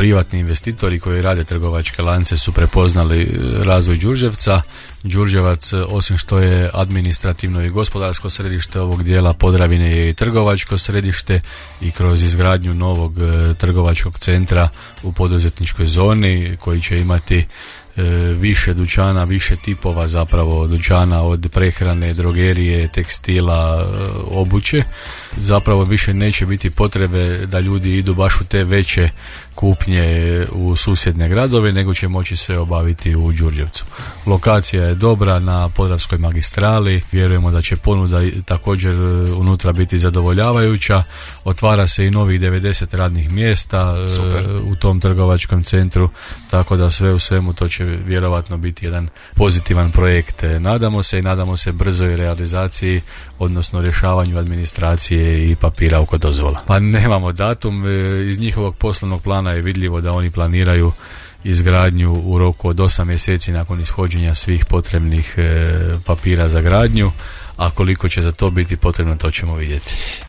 privatni investitori koji rade trgovačke lance su prepoznali razvoj Đurđevca. Đurđevac, osim što je administrativno i gospodarsko središte ovog dijela Podravine, je i trgovačko središte i kroz izgradnju novog trgovačkog centra u poduzetničkoj zoni koji će imati više dućana, više tipova zapravo dućana, od prehrane, drogerije, tekstila, obuće. Zapravo više neće biti potrebe da ljudi idu baš u te veće kupnje u susjedne gradove, nego će moći se obaviti u Đurđevcu. Lokacija je dobra na Podravskoj magistrali, vjerujemo da će ponuda također unutra biti zadovoljavajuća. Otvara se i novih 90 radnih mjesta u tom trgovačkom centru, tako da sve u svemu to će vjerovatno biti jedan pozitivan projekt. Nadamo se brzoj realizaciji, odnosno rješavanju administracije i papira oko dozvola. Pa nemamo datum, iz njihovog poslovnog plana je vidljivo da oni planiraju izgradnju u roku od 8 mjeseci nakon ishođenja svih potrebnih papira za gradnju, a koliko će za to biti potrebno, to ćemo vidjeti.